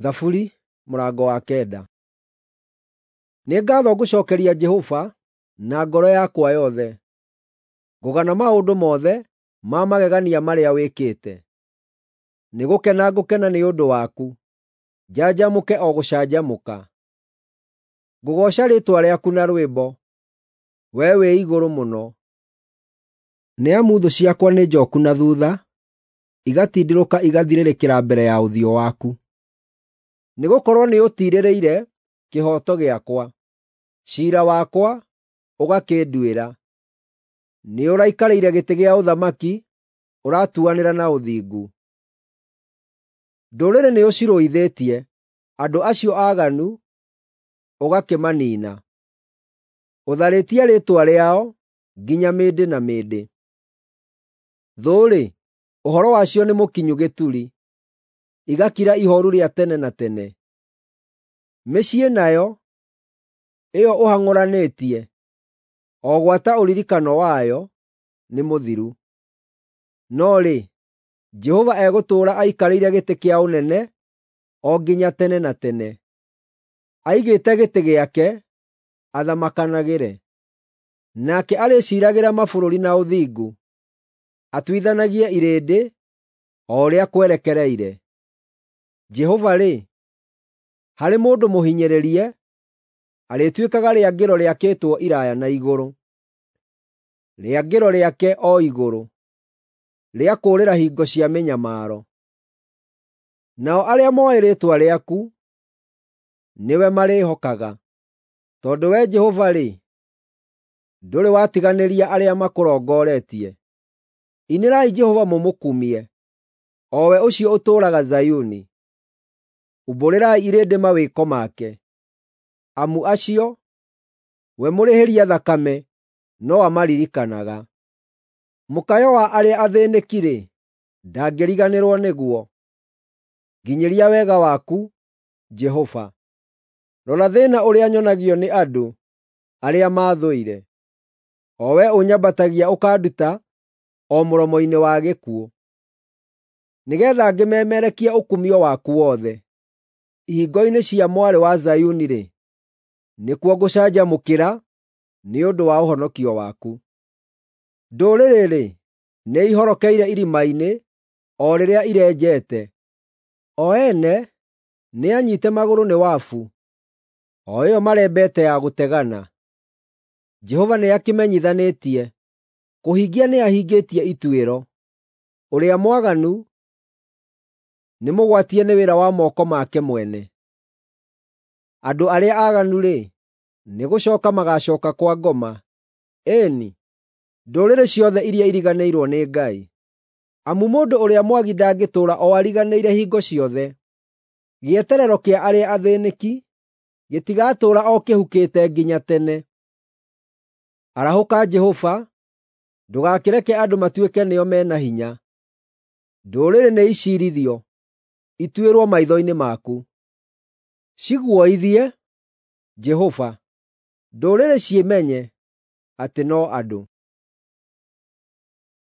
Thaburi mũrango wa 9. Nĩ ngaatho ngũcookeria Jehova na ngoro yakwa yothe; ngũgana maũndũ mothe ma magegania marĩa wĩkĩte. Nĩgũkena ngũkena nĩ ũndũ waku, njanjamũke o gũcanjamũka. Ngũgooca rĩĩtwa rĩaku na rwĩmbo, Wee wĩ Igũrũ-Mũno. Nĩ amu thũ ciakwa nĩ njooku na thuutha, igatindĩrũka igathirĩrĩkĩra mbere ya ũthiũ waku. Nĩgũkorwo nĩũtiirĩrĩire kĩhooto gĩakwa, ciira wakwa ũgakĩnduĩra. Nĩũraikarĩire gĩtĩ gĩa ũthamaki, ũratuanĩra na ũthingu. Ndũrĩrĩ nĩũcirũithĩtie, andũ acio aaganu ũgakĩmaniina. Ũtharĩtie rĩĩtwa rĩao nginya mĩndĩ na mĩndĩ. Thũ-rĩ, ũhoro wacio nĩ mũkinyu gĩturi, igakira ihooru rĩa tene na tene. Mĩciĩ nayo, ĩyo ũhang'ũranĩtie, o gwata ũririkano wayo, nĩ mũthiru. No rĩ, Jehova egũtũũra aikarĩire gĩtĩ kĩa ũnene o nginya tene na tene; aigĩte gĩtĩ gĩake athamakanagĩre. Nake arĩciiragĩra mabũrũri na ũthingu, atuithanagie irĩndĩ o ũrĩa kwerekereire. Jehova-rĩ, harĩ mũndũ mũhinyĩrĩrie, arĩtuĩkaga rĩangĩro rĩakĩtwo iraaya na igũrũ, rĩangĩro rĩake o igũrũ, rĩa kũũrĩra hingo cia mĩnyamaro. Nao arĩa mooĩ rĩĩtwa rĩaku, nĩwe marĩĩhokaga, tondũ Wee Jehova-rĩ, ndũrĩ watiganĩria arĩa makũrongoretie. Inĩrai Jehova mũmũkumie, o we ũcio ũtũũraga Zayuni. Umbũrĩrai irĩndĩ mawĩko make, amu acio, we mũrĩhĩria thakame, no amaririkanaga. Mũkayo wa arĩa athĩĩnĩki-rĩ, ndangĩriganĩrwo nĩguo. Nginyĩria wega waku, Jehova. Rora thĩĩna ũrĩa nyonagio nĩ andũ arĩa maathũire, o wee ũnyambatagia ũkanduta o mũromo-inĩ wa gĩkuũ, nĩgeetha ngĩmemerekie ũkumio waku wothe. Ihingo-inĩ cia Mwarĩ wa Zayuni-rĩ, nĩkuo ngũcanjamũkĩra nĩ ũndũ wa ũhonokio waku. Ndũrĩrĩ-rĩ, nĩihorokeire irima-inĩ o rĩrĩa irenjete; o ene nĩanyiite magũrũ nĩ wabu, o ĩyo marembete ya gũtegana. Jehova nĩakĩmenyithanĩtie, kũhingia nĩahingĩtie ituĩro. Ũrĩa mwaganu nĩmũgwatie nĩ wĩra wa moko make mwene. Andũ arĩa aaganu-rĩ, nĩgũcooka magaacooka kwa ngoma, ĩĩ-ni, ndũrĩrĩ ciothe iria iriganĩirwo nĩ Ngai. Amu mũndũ ũrĩa mwagi ndangĩtũũra o ariganĩire hingo ciothe; gĩeterero kĩa arĩa athĩĩnĩki gĩtigatũũra o kĩhukĩte nginya tene. Arahũka Jehova, ndũgakĩreke andũ matuĩke nĩo me na hinya. Ndũrĩrĩ nĩiciirithio, ituĩrwo maitho-inĩ maku. Ciguoithie, Jehova, ndũrĩrĩ ciĩmenye atĩ no andũ.